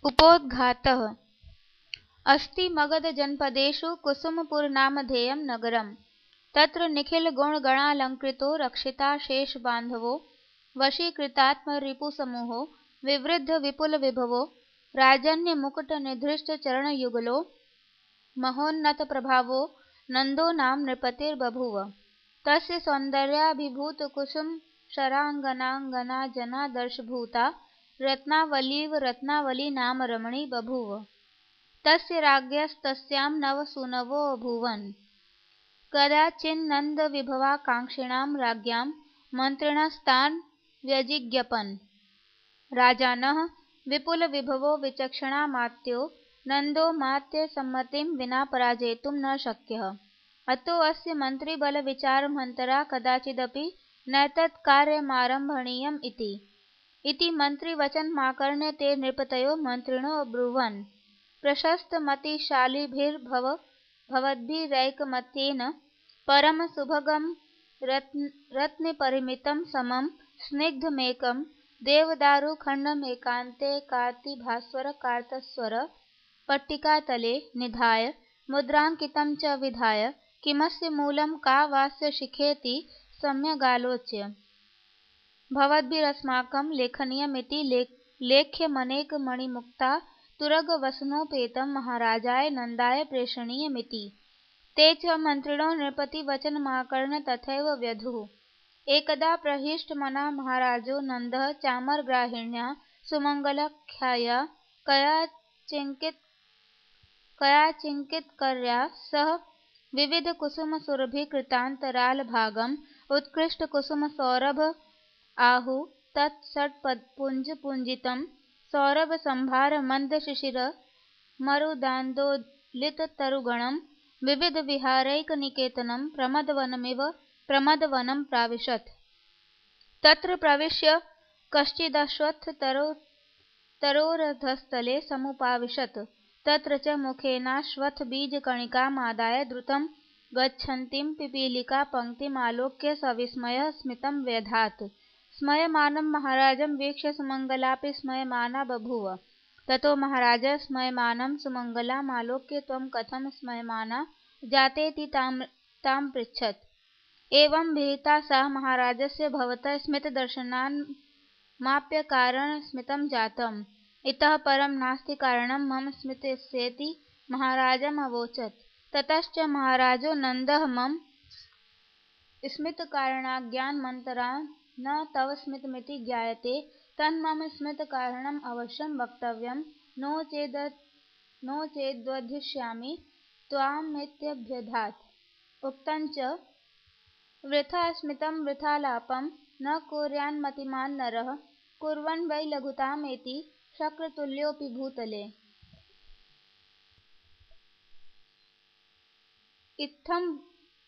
उपोद्घातः। अस्ति मगधजनपदेषु कुसुमपुरनामधेयं नगरं। तत्र निखिलगुणगणालङ्कृतो रक्षिताशेषबान्धवो वशीकृतात्मरिपुसमूहो विवृद्धविपुलविभवो राजन्यमुकुटनिधृष्टचरणयुगलो महोन्नतप्रभावो नन्दो नाम नृपतिर्बभूव। तस्य सौन्दर्याभिभूतकुसुमशराङ्गनाङ्गना जनादर्शभूता रत्नावलीव रत्नावली नाम रमणी बभूव। तस्य राज्ञस्तस्यां नवसूनवोऽभूवन्। कदाचिन्नन्दविभवाकाङ्क्षिणां राज्ञां मन्त्रिणस्तान् व्यजिज्ञपन्। राजानः विपुलविभवो विचक्षणामात्यो नन्दो मात्यसम्मतिं विना पराजेतुं न शक्यः। अतोऽस्य मन्त्रिबलविचारमन्तरा कदाचिदपि नैतत्कार्यमारम्भणीयम् इति मन्त्रिवचनमाकर्ण्य ते नृपतयो मन्त्रिणो अब्रुवन्। प्रशस्तमतिशालिभिर्भवद्भिरैकमत्येन परमसुभगं रत्नपरिमितं समं स्निग्धमेकं देवदारुखण्डमेकान्ते कार्तिभास्वरकार्तस्वर पट्टिकातले निधाय मुद्राङ्कितं च विधाय किमस्य मूलं का वास्य शिखेति सम्यगालोच्य भवद्भिरस्माकं लेखनीयमिति लेख्यमनेकमणिमुक्ता तुरगवसनोपेतं महाराजाय नन्दाय प्रेषणीयमिति। ते च मन्त्रिणो नृपतिवचनमाकर्ण्य तथैव व्यधुः। एकदा प्रहिष्टमना महाराजो नन्दः चामरग्राहिण्या सुमङ्गलाख्यया कयाचिङ्कितकर्या सह विविधकुसुमसुरभिकृतान्तरालभागम् उत्कृष्टकुसुमसौरभ आहुः तत्षट्पुञ्जपूजितं सौरभसंभारमन्दशिशिरमरुदान्दोलिततरुगणं विविधविहारैकनिकेतनं प्रमदवनं प्राविशत्। तत्र प्रविश्य कश्चिदश्वत्थतरोरधस्थले समुपाविशत्। तत्र च मुखेनाश्वत्थबीजकणिकामादाय द्रुतं गच्छन्तीं पिपीलिकापङ्क्तिमालोक्य सविस्मयः स्मितं व्यधात्। स्मयमानं महाराजं वीक्ष्य सुमङ्गलापि स्मयमाना बभूव। ततो महाराजः स्मयमानं सुमङ्गलामालोक्य त्वं कथं स्मयमाना जातेति तां पृच्छत्। एवं विहिता सा महाराजस्य भवतः स्मितदर्शनान्माप्यकारणस्मितं जातम्। इतः परं नास्ति कारणं मम स्मितस्येति महाराजमवोचत्। ततश्च महाराजो नन्दः मम स्मितकारणाज्ञानमन्तरा न तव स्मितमिति ज्ञायते तन्मम स्मितकारणम् अवश्यं वक्तव्यं नो चेद्वधिष्यामि त्वामित्यभ्यधात्। उक्तं च वृथा स्मितं वृथालापं न कुर्यान्मतिमान् नरः कुर्वन् वै लघुतामेति शक्रतुल्योऽपि भूतले। इत्थं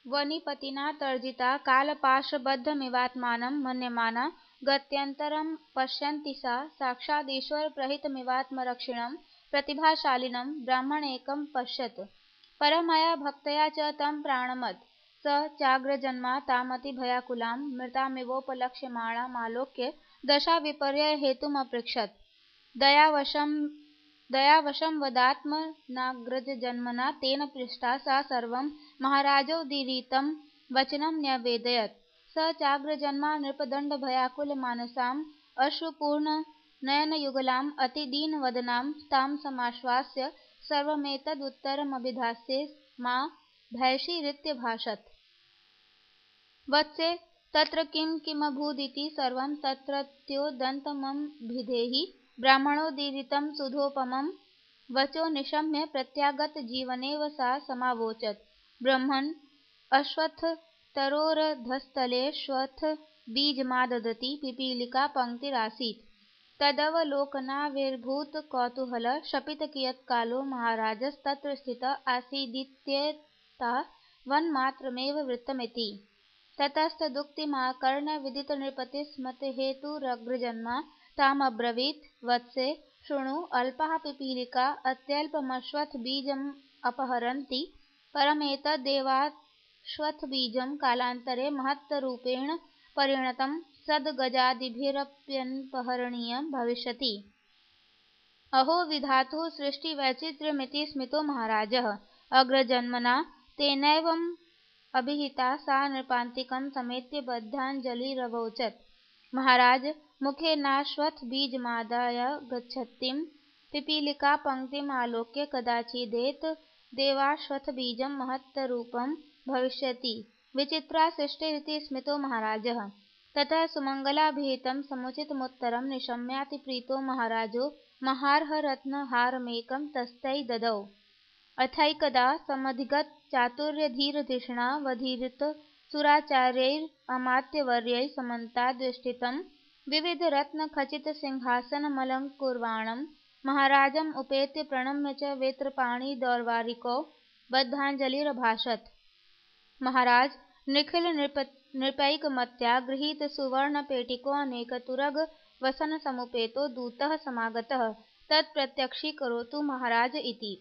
वनिपतिना तर्जिता कालपाशबद्धमिवात्मानं मन्यमाना गत्यन्तरं पश्यन्ती सा साक्षादीश्वरप्रहितमिवात्मरक्षिणं प्रतिभाशालिनं ब्राह्मणेकं पश्यत्। परमया भक्तया च तं प्राणमत्। स चाग्रजन्मा तामतिभयाकुलां मृतामिवोपलक्ष्यमाणामालोक्य दशाविपर्ययहेतुमपृच्छत्। दयावशं वदात्मनाग्रजन्मना तेन पृष्टा सा सर्वं महाराजोदीरितं वचनं न्यवेदयत्। स चाग्रजन्मा नृपदण्डभयाकुलमानसाम् अश्रुपूर्णनयनयुगलाम् अतिदीनवदनां तां समाश्वास्य सर्वमेतदुत्तरमभिधास्ये मा भैषीरित्यभाषत। वत्से तत्र किं किमभूदिति सर्वं तत्रत्योदन्तमभिधेहि ब्राह्मणोदीरितं सुधोपमं वचो निशम्य प्रत्यागतजीवनेव सा समावोचत्। ब्रह्मन् अश्वत्थतरोरधस्थलेऽश्वत्थबीजमादधती पिपीलिका पङ्क्तिरासीत्। तदवलोकनाविर्भूतकौतूहलः शपितकियत्कालो महाराजस्तत्र स्थितः आसीदित्येतावन्मात्रमेव वृत्तमिति। ततस्तदुक्तिमाकर्ण्य विदितनृपतिस्मृतिहेतुरग्रजन्मा तामब्रवीत्। वत्से शृणु अल्पा पिपीलिका अत्यल्पमश्वत्थबीजमपहरन्ती परमेतदेवाश्वत्थबीजं कालान्तरे महत्तरूपेण परिणतं सद्गजादिभिरप्यपहरणीयं भविष्यति। अहो विधातुः सृष्टिवैचित्र्यमिति स्मितो महाराजः। अग्रजन्मना तेनैवम् अभिहिता सा नृपान्तिकं समेत्य बद्धाञ्जलिरवोचत्। महाराज मुखेनाश्वत्थबीजमादाय गच्छतीं पिपीलिकापङ्क्तिम् आलोक्य कदाचिदेत देवाश्वत्थबीजं महत्तरूपं भविष्यति विचित्रा सृष्टिरिति स्मितो महाराजः। ततः सुमङ्गलाभिहितं समुचितमुत्तरं निशम्यातिप्रीतो महाराजो महार्हरत्नहारमेकं तस्यै ददौ। अथैकदा समधिगतचातुर्यधीरधिषणावधीरितसुराचार्यैरमात्यवर्यैः समन्ताद्वेष्टितं विविधरत्नखचितसिंहासनमलङ्कुर्वाणं महाराजम् उपेत्य प्रणम्य च वेत्रपाणिदौर्वारिको बद्धाञ्जलिरभाषत। महाराज निखिलनृपैकमत्या गृहीतसुवर्णपेटिकोऽनेकतुरगवसनसमुपेतो दूतः समागतः तत्प्रत्यक्षीकरोतु महाराज इति।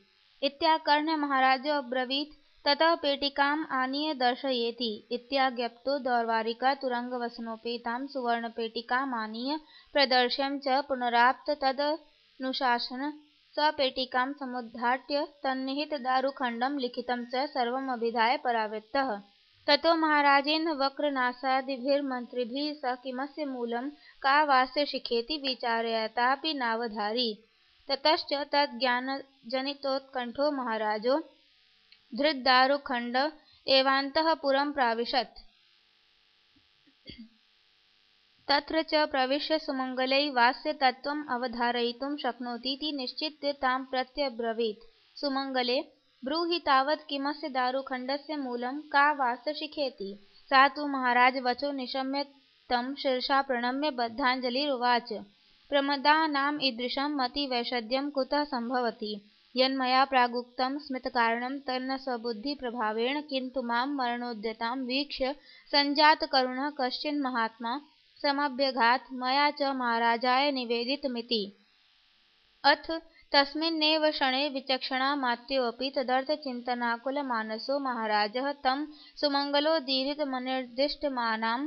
इत्याकर्ण्य महाराजोऽब्रवीत् ततः पेटिकाम् आनीय दर्शयेति। इत्याज्ञप्तो दौर्वारिकः तुरङ्गवसनोपेतां सुवर्णपेटिकामानीय प्रदर्श्यं च पुनराप्त तदनुशासन स पेटिकां समुद्घाट्य तन्निहितदारुखण्डं लिखितं च सर्वमभिधाय परावृत्तः। ततो महाराजेन वक्रनासादिभिर्मन्त्रिभिः स किमस्य मूलं का वास्य शिखेति विचारयतापि नावधारि। ततश्च तज्ज्ञानजनितोत्कण्ठो महाराजो धृतदारुखण्ड एवान्तःपुरं प्राविशत्। तत्र च प्रविश्य सुमङ्गलैः वास्य तत्त्वम् अवधारयितुं शक्नोतीति निश्चित्य तां प्रत्यब्रवीत्। सुमङ्गले ब्रूहि तावत् किमस्य दारुखण्डस्य मूलं का वास्य शिखेति। सा तु महाराज वचो निशम्य तं शिरसा प्रणम्य बद्धाञ्जलिरुवाच। प्रमदानाम् ईदृशं मतिवैषद्यं कुतः सम्भवति। यन्मया प्रागुक्तं स्मितकारणं तन्न स्वबुद्धिप्रभावेण किन्तु मां मरणोद्यतां वीक्ष्य सञ्जातकरुणः कश्चिन्महात्मा समभ्यगात् मया च महाराजाय निवेदितमिति। अथ तस्मिन्नेव क्षणे विचक्षणामात्योऽपि तदर्थचिन्तनाकुलमानसो महाराजः तं सुमङ्गलोदीरितमनिर्दिष्टमानां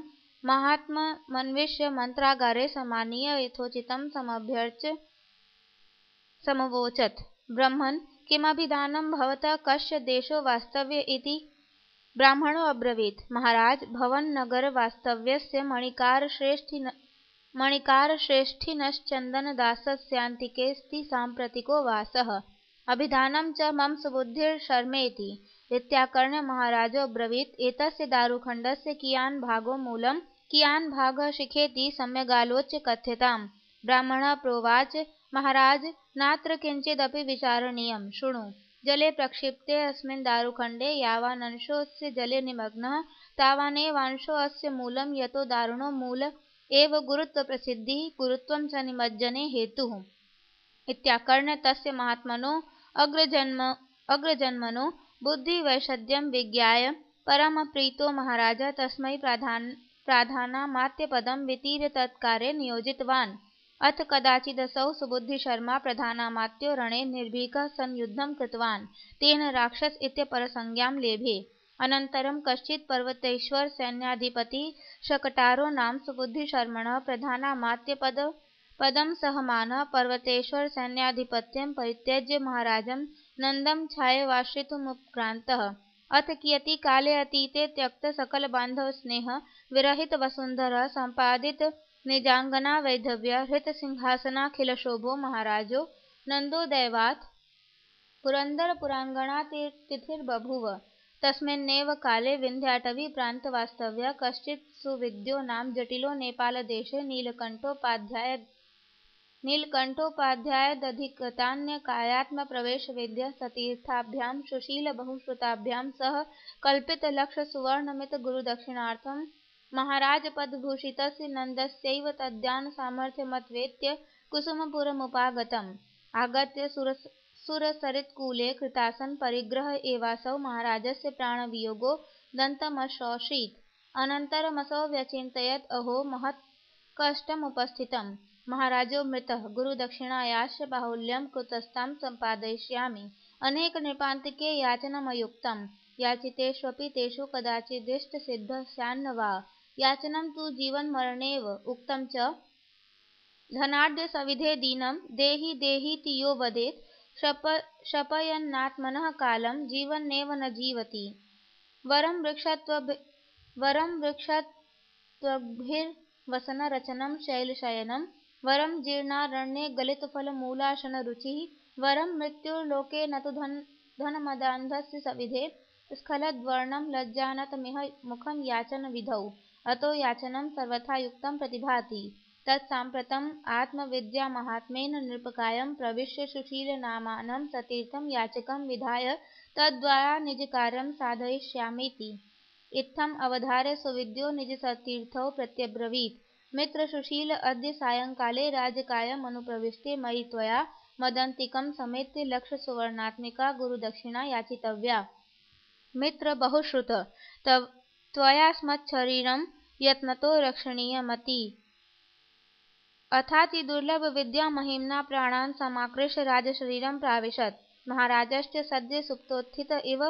महात्ममन्विष्य मन्त्रागारे समानीय यथोचितं समभ्यर्च्य समवोचत्। ब्रह्मन् किमभिधानं भवतः कस्य देशो वास्तव्य इति। ब्राह्मणो अब्रवीत्। महाराज भवन्नगरवास्तव्यस्य मणिकारश्रेष्ठिनश्चन्दनदासस्यान्तिकेऽस्ति साम्प्रतिको वासः। अभिधानं च मम सुबुद्धिर्शर्मेति। इत्याकर्ण्य महाराजो अब्रवीत्। एतस्य दारुखण्डस्य कियान् भागो मूलं कियान् भागः शिखेति सम्यगालोच्य कथ्यताम्। ब्राह्मणः प्रोवाच महाराज नात्र किञ्चिदपि विचारणीयं। शृणु। जले प्रक्षिप्ते अस्मिन् दारुखण्डे यावानंशोऽस्य जले निमग्नः तावानेवांशोऽस्य मूलं यतो दारुणो मूल एव गुरुत्वप्रसिद्धिः गुरुत्वं च निमज्जने हेतुः। इत्याकर्ण्य तस्य महात्मनो अग्रजन्मनो बुद्धिवैषद्यं विज्ञाय परमप्रीतो महाराजः तस्मै प्रधानामात्यपदं वितीर्य तत्कार्ये नियोजितवान्। अथ कदाचिदसौ सुबुद्धिशर्मा प्रधानामात्यो रणे निर्भीकः सन् युद्धं कृतवान्। तेन राक्षस इत्यपरसंज्ञां लेभे। अनन्तरं कश्चित् पर्वतेश्वरसैन्याधिपतिः शकटारो नाम सुबुद्धिशर्मणः प्रधानामात्यपदं सहमानः पर्वतेश्वरसैन्याधिपत्यं परित्यज्य महाराजं नन्दं छायावाश्रितुमुपक्रान्तः। अथ कियति काले अतीते त्यक्तसकलबान्धवस्नेहः विरहितवसुन्धरः सम्पादितनिजाङ्गनावैधव्य हृतसिंहासनाखिलशोभो महाराजो नन्दो दैवात् पुरन्दरपुराङ्गणातिथिर्बभूव। तस्मिन्नेव काले विन्ध्याटवीप्रान्तवास्तव्यः कश्चित् सुविद्यो नाम जटिलो नेपालदेशे नीलकण्ठोपाध्यायदधिगतान्यकायात्मप्रवेशविद्यः सतीर्थाभ्यां सुशीलबहुश्रुताभ्यां सह कल्पितलक्षसुवर्णमितगुरुदक्षिणार्थं महाराजपदभूषितस्य नन्दस्यैव तद्यानसामर्थ्यमत्वेत्य कुसुमपुरमुपागतम्। आगत्य सुरसरित्कूले कृतासनपरिग्रह एवासौ महाराजस्य प्राणवियोगो दन्तमशोषीत्। अनन्तरमसौ व्यचिन्तयत् अहो महत्कष्टमुपस्थितम्। महाराजो मृतः गुरुदक्षिणायाश्च बाहुल्यं कुतस्तां सम्पादयिष्यामि। अनेकनृपान्तिके याचनमयुक्तं। याचितेष्वपि तेषु कदाचिदिष्टसिद्धः स्यान्न वा। याचनं तु जीवन्मरणेव उक्तं च धनाढ्य सविधे दीनं देहि देहीति यो वदेत् शपयन्नात्मनः कालं जीवन्नेव न जीवति। वरं वृक्षत्वग्भिर्वसनरचनं शैलशयनं वरं जीर्णारण्ये गलितफलमूलासनरुचिः वरं मृत्युर्लोके न तु धनमदान्धस्य सविधे स्खलद्वर्णं लज्जानतमिह मुखं याचनविधौ अतो याचनं सर्वथा युक्तं प्रतिभाति। तत्साम्प्रतम् आत्मविद्यामाहात्म्येन निरुपकायं प्रविश्य सुशीलनामानं सतीर्थं याचकं विधाय तद्द्वारा निजकार्यं साधयिष्यामीति। इत्थम् अवधार्य सुविद्यो निजसतीर्थौ प्रत्यब्रवीत्। मित्र सुशील अद्य सायंकाले राजकार्यमनुप्रविष्टे मयि त्वया मदन्तिकं समेत्य लक्षसुवर्णात्मिका गुरुदक्षिणा याचितव्या। मित्र बहुश्रुत त्वयास्मच्छरीरं यत्नतो रक्षणीयमति। अथाति दुर्लभ विद्या महिम्ना प्राणान् समाकृष्य राजशरीरं प्राविशत्। महाराजश्च सद्य सुप्तोत्थित इव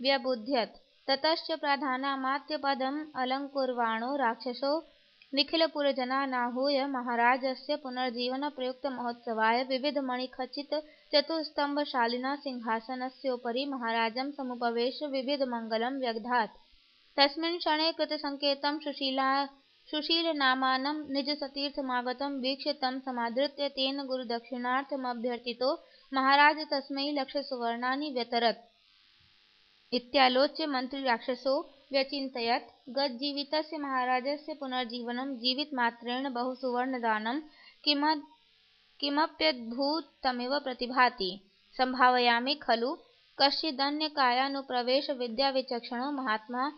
व्यबुध्यत्। ततश्च प्राधानामात्यपदम् अलङ्कुर्वाणो राक्षसो निखिलपुरजनानाहूय महाराजस्य पुनर्जीवनप्रयुक्तमहोत्सवाय विविधमणिखचितचतुस्तम्भशालिनः सिंहासनस्योपरि महाराजं समुपवेश्य विविधमङ्गलं व्यधात्। तस्मिन् क्षणे कृतसङ्केतं सुशीलनामानं निजसतीर्थमागतं वीक्ष्य तं समादृत्य तेन गुरुदक्षिणार्थमभ्यर्थितो महाराज तस्मै लक्षसुवर्णानि व्यतरत्। इत्यालोच्य मन्त्रीराक्षसो व्यचिन्तयत् गतजीवितस्य महाराजस्य पुनर्जीवनं जीवितमात्रेण बहुसुवर्णदानं किमप्यद्भुतमिव प्रतिभाति। सम्भावयामि खलु कश्चिदन्यकायानुप्रवेशविद्याविचक्षणो महात्मा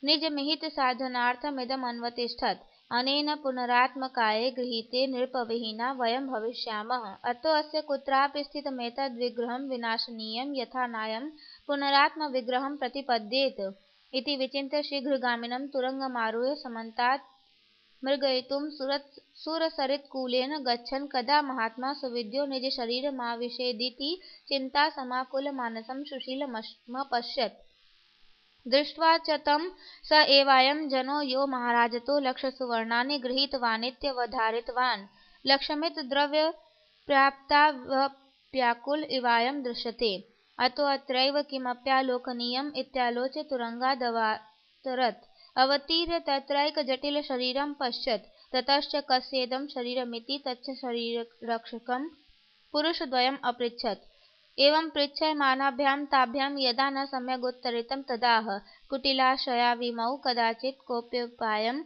निजमिहितसाधनार्थमिदमन्वतिष्ठत्। अनेन पुनरात्मकाये गृहीते नृपविहीना वयं भविष्यामः। अतो अस्य कुत्रापि स्थितमेतद्विग्रहं विनाशनीयं यथा नायं पुनरात्मविग्रहं प्रतिपद्येत। इति विचिन्त्य शीघ्रगामिनं तुरङ्गमारुह्य समन्तात् मृगयितुं सुरसरित्कूलेन गच्छन् कदा महात्मा सुविद्यो निजशरीरमाविशेदिति चिन्तासमाकुलमानसं सुशीलमपश्यत्। दृष्ट्वा च तं स एवायं जनो यो महाराजतो लक्षसुवर्णानि गृहीतवानित्यवधारितवान्। लक्षमितद्रव्यप्राप्तावप्याकुल इवायं दृश्यते। अतो अत्रैव किमप्यालोकनीयम् इत्यालोच्य तुरङ्गादवातरत्। अवतीर्य तत्रैकजटिलशरीरं पश्यत्। ततश्च कस्येदं शरीरमिति तच्च शरीररक्षकं पुरुषद्वयम् अपृच्छत्। एवं पृच्छ्यमानाभ्यां ताभ्यां यदा न सम्यगुत्तरितं तदाह कुटिलाशयाविमौ कदाचित् कोऽप्युपायं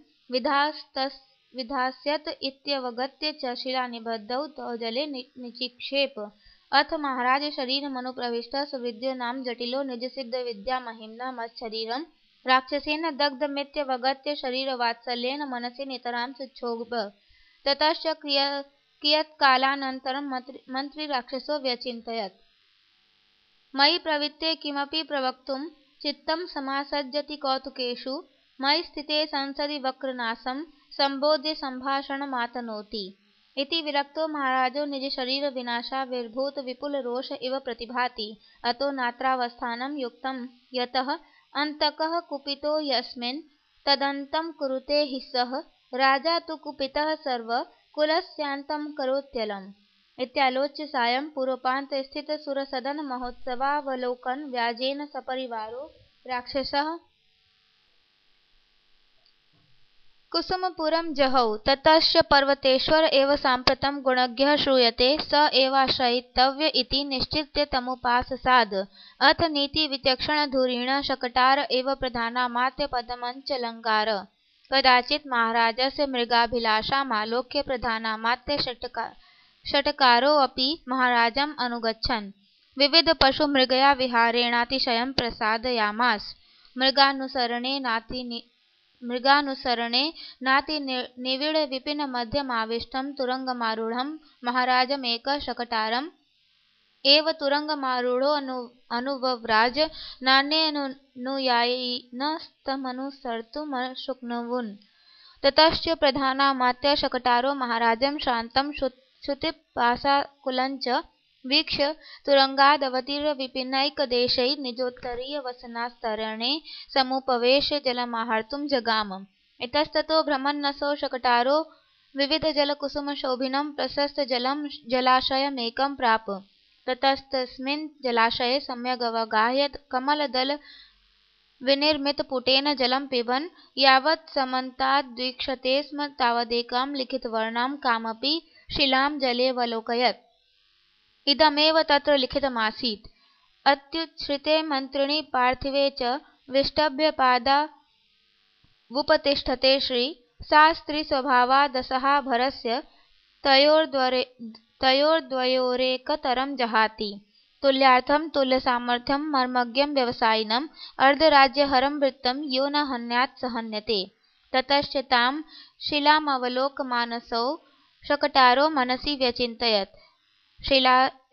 विधास्यत इत्यवगत्य च शिलानिबद्धौ तौ जले निचिक्षेप। अथ महाराज शरीरमनुप्रविष्टः सुविद्यो नाम जटिलो निजसिद्धविद्यामहिम्ना मत्शरीरं राक्षसेन दग्धमित्यवगत्य शरीरवात्सल्येन मनसि नितरां सुक्षोभ। ततश्च कियत्कालानन्तरं मन्त्रीराक्षसो व्यचिन्तयत्। मयि प्रवृत्ते किमपि प्रवक्तुं चित्तं समासज्जति कौतुकेषु मयि स्थिते संसदि वक्रनासं सम्बोध्य सम्भाषणमातनोति। इति विरक्तो महाराजो निजशरीरविनाशाविर्भूतविपुलरोष इव प्रतिभाति। अतो नात्रावस्थानं युक्तं यतः अन्तकः कुपितो यस्मिन् तदन्तं कुरुते हि सः राजा तु कुपितः सर्वकुलस्यान्तं करोत्यलम्। इत्यालोच्य सायं पूर्वपान्तस्थितसुरसदनमहोत्सवावलोकनव्याजेन सपरिवारो राक्षसः कुसुमपुरं जहौ। ततश्च पर्वतेश्वर एव साम्प्रतं गुणज्ञः श्रूयते स एवाश्रयितव्य इति निश्चित्य तमुपाससाद। अथ नीतिविचक्षणधुरीणः शकटार एव प्रधानामात्यपदमञ्चलङ्कार। कदाचित् महाराजस्य मृगाभिलाषामालोक्य प्रधानामात्यषट्कारोऽपि महाराजम् अनुगच्छन् विविधपशुमृगया विहारेणातिशयं प्रसादयामास। मृगानुसरणे नातिनिविडविपिनमध्यमाविष्टं तुरङ्गमारूढं महाराजमेकः शकटारम् एव तुरङ्गमारूढोऽनुवव्राज। नान्येऽनुयायिनस्तमनुसर्तुमशक्नुवन्। ततश्च प्रधानामात्यः शकटारो महाराजं शान्तं क्षुतिपाशाकुलञ्च वीक्ष्य तुरङ्गादवतीर्य विपिनैकदेशैः निजोत्तरीयवसनास्तरणे समुपवेश्य जलमाहर्तुं जगाम। इतस्ततो भ्रमन्नसौ शकटारो विविधजलकुसुमशोभिनं प्रशस्तजलं जलाशयमेकं प्राप। ततस्तस्मिन् जलाशये सम्यगवगाह्य कमलदलविनिर्मितपुटेन जलं पिबन् यावत् समन्ताद्वीक्षते स्म तावदेकां लिखितवर्णां कामपि शिलां जलेऽवलोकयत्। इदमेव तत्र लिखितमासीत्। अत्युच्छ्रिते मन्त्रिणि पार्थिवे च विष्टभ्यपादावुपतिष्ठते श्री सा स्त्रीस्वभावा दशहा भरस्य तयोर्द्वयोरेकतरं जहाति। तुल्यार्थं तुल्यसामर्थ्यं मर्मज्ञं व्यवसायिनम् अर्धराज्यहरं वृत्तं यो न हन्यात् स हन्यते। ततश्च तां शिलामवलोकमानसो शकटारो मनसि व्यचिन्तयत्।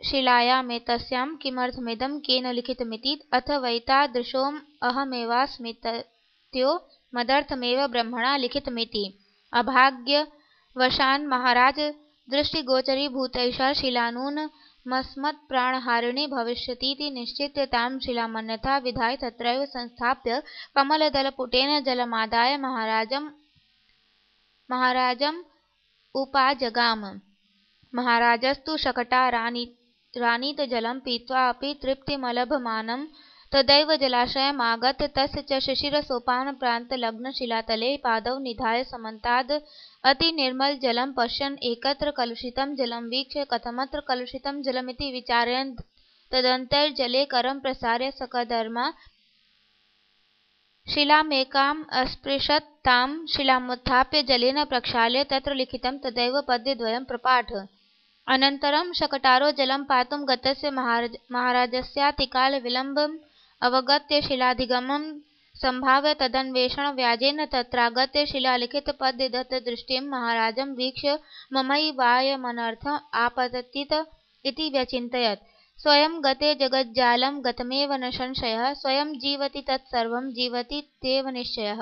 शिलायामेतस्यां किमर्थमिदं केन लिखितमिति अथ वैतादृशोऽहमेवास्मीत्यो मदर्थमेव ब्रह्मणा लिखितमिति। अभाग्यवशान् महाराज दृष्टिगोचरीभूतैषा शिला नूनमस्मत्प्राणहारिणी भविष्यतीति निश्चित्य तां शिलामन्यथा विधाय तत्रैव संस्थाप्य कमलदलपुटेन जलमादाय महाराजमुपाजगाम। महाराजस्तु शकटारानीतजलं पीत्वा अपि तृप्तिमलभमानं तदैव जलाशयमागत्य तस्य च शिशिरसोपानप्रान्तलग्नशिलातले पादौ निधाय समन्ताद् अतिनिर्मलजलं पश्यन् एकत्र कलुषितं जलं वीक्ष्य कथमत्र कलुषितं जलमिति विचारयन् तदन्तर्जले करं प्रसार्य सकदर्मा शिलामेकाम् अस्पृशत्। तां शिलामुत्थाप्य जलेन प्रक्षाल्य तत्र लिखितं तदैव पद्यद्वयं प्रपाठ। अनन्तरं शकटारो जलं पातुं गतस्य महाराजस्यातिकालविलम्बम् अवगत्य शिलाधिगमनं सम्भाव्य तदन्वेषणव्याजेन तत्रागत्य शिलालिखितपद्यदत्तदृष्टिं महाराजं वीक्ष्य ममैवायमनर्थम् आपततीत इति व्यचिन्तयत्। स्वयं गते जगज्जालं गतमेव न संशयः। स्वयं जीवति तत्सर्वं जीवतीत्येव निश्चयः।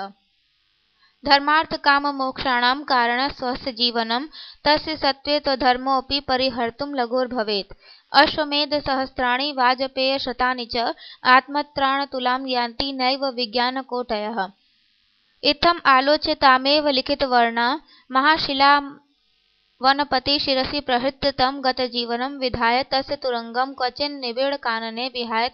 धर्मार्थकाममोक्षाणां कारणः स्वस्य जीवनं तस्य सत्त्वे त्वधर्मोऽपि परिहर्तुं लघुर्भवेत्। अश्वमेधसहस्राणि वाजपेयशतानि च आत्मत्राणतुलां यान्ति नैव विज्ञानकोटयः। इत्थम् आलोच्य तामेव लिखितवर्णा महाशिलावनपति शिरसि प्रहृत्य तं गतजीवनं विधाय तस्य तुरंगं क्वचिन् निबिडकानने विहाय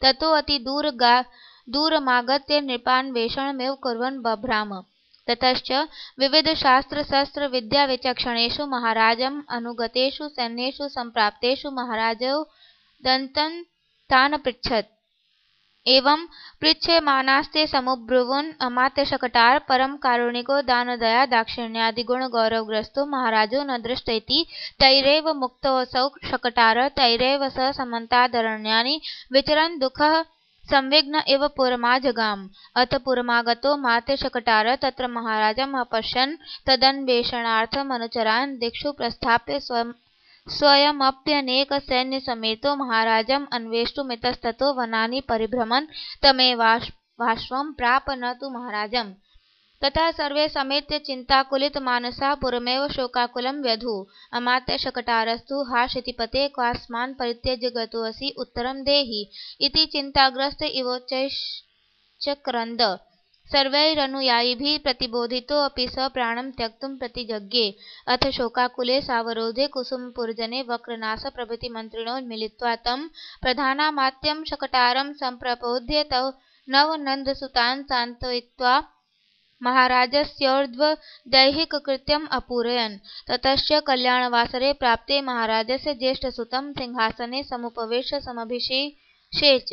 ततोऽतिदूरमागत्य नृपान्वेषणमेव कुर्वन् बभ्राम। ततश्च विविधशास्त्रशस्त्रविद्याविचक्षणेषु महाराजम् अनुगतेषु सैन्येषु सम्प्राप्तेषु महाराजौ दन्तं तान् पृच्छत्। एवं पृच्छ्यमानास्ते समुब्रुवन् अमात्यशकटार परम कारुणिको दानदया दाक्षिण्यादिगुणगौरवग्रस्तो महाराजो न दृष्ट इति तैरेव मुक्तोऽसौ शकटार तैरेव स समन्तादरण्यानि विचरन् दुःखः संविघ्न इव पुरमाजगाम। अथ पुरमागतो मात्यशकटार तत्र महाराजम् अपश्यन् तदन्वेषणार्थमनुचरान् दिक्षु प्रस्थाप्य स्वयमप्यनेकसैन्यसमेतो महाराजम् अन्वेष्टुमितस्ततो वनानि परिभ्रमन् तमेवाश्वं प्राप न तु महाराजम्। ततः सर्वे समेत्य चिन्ताकुलितमानसा पुरमेव शोकाकुलं व्यधुः। अमात्यशकटारस्तु हा क्षितिपते क्वास्मान् परित्यज्य गतोऽसि उत्तरं देहि इति चिन्ताग्रस्त इवोच्चक्रन्द। सर्वैरनुयायिभिः प्रतिबोधितोऽपि स प्राणं त्यक्तुं प्रतिजज्ञे। अथ शोकाकुले सावरोधे कुसुमपुरजने वक्रनासप्रभृतिमन्त्रिणो मिलित्वा तं प्रधानामात्यं शकटारं सम्प्रबोध्य तौ नवनन्दसुतान् सान्त्वयित्वा महाराजस्योर्ध्वदैहिककृत्यम् अपूरयन्। ततश्च कल्याणवासरे प्राप्ते महाराजस्य ज्येष्ठसुतं सिंहासने समुपवेश्य समभिषिषेच।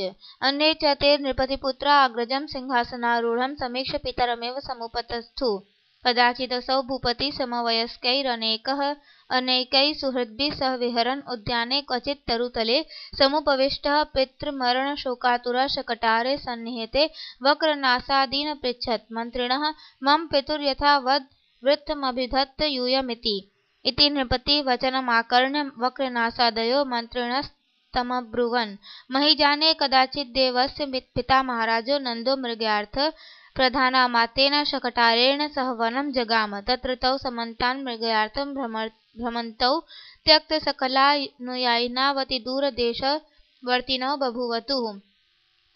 अन्ये च ते नृपतिपुत्रा अग्रजं सिंहासनारूढं समीक्ष्य पितरमेव समुपतस्थुः। कदाचिदसौ भूपतिः समवयस्कैरनेकैः सुहृद्भिः सह विहरन् उद्याने क्वचित् तरुतले समुपविष्टः पितृमरणशोकातुरः शकटारे सन्निहिते वक्रनासादीन् पृच्छत्। मन्त्रिणः मम पितुर्यथावद् वृत्तमभिधत्त यूयमिति। इति नृपतिः वचनमाकर्ण्य वक्रनासादयो मन्त्रिणस्तमब्रुवन्। महीजाने कदाचिद्देवस्य पिता महाराजो नन्दो मृगयार्थं प्रधानामात्येन शकटारेण सह वनं जगाम। तत्र तौ समन्तान् मृगयार्थं भ्रमन्तौ त्यक्तसकलानुयायिनावतिदूरदेशवर्तिनौ बभूवतुः।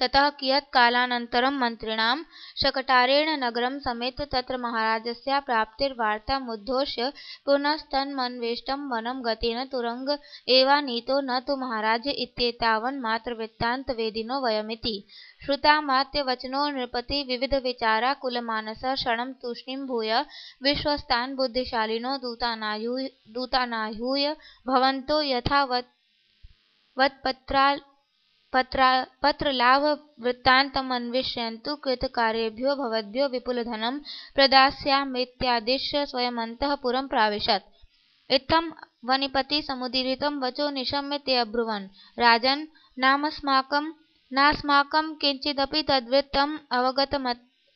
ततः कियत् कालानन्तरं मन्त्रिणां शकटारेण नगरं समेत्य तत्र महाराजस्य प्राप्तिर्वार्तामुद्धोष्य पुनस्तन्मन्वेष्टं वनं गतेन तुरंग एवानीतो न तु महाराज इत्येतावन्मात्रवृत्तान्तवेदिनो वयमिति। श्रुतामात्यवचनो नृपति विविधविचाराकुलमानसः क्षणं तूष्णीभूय विश्वस्तान् बुद्धिशालिनो दूतानाहूय भवन्तो पत्रलाभवृत्तान्तमन्विष्यन्तु कृतकार्येभ्यो भवद्भ्यो विपुलधनं प्रदास्यामीत्यादिश्य स्वयमन्तः पुरं प्राविशत्। इत्थं वनिपति समुदीरितं वचो निशम्य ते अब्रुवन् राजन् नास्माकं किञ्चिदपि तद्वृत्तम्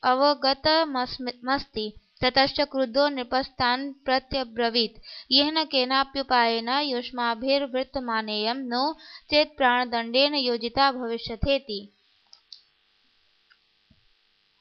अवगतमस्ति। ततश्च क्रुद्धो नृपस्तान् प्रत्यब्रवीत् येन केनाप्युपायेन युष्माभिर्वृत्तमानेयं नो चेत् प्राणदण्डेन योजिता भविष्यथेति।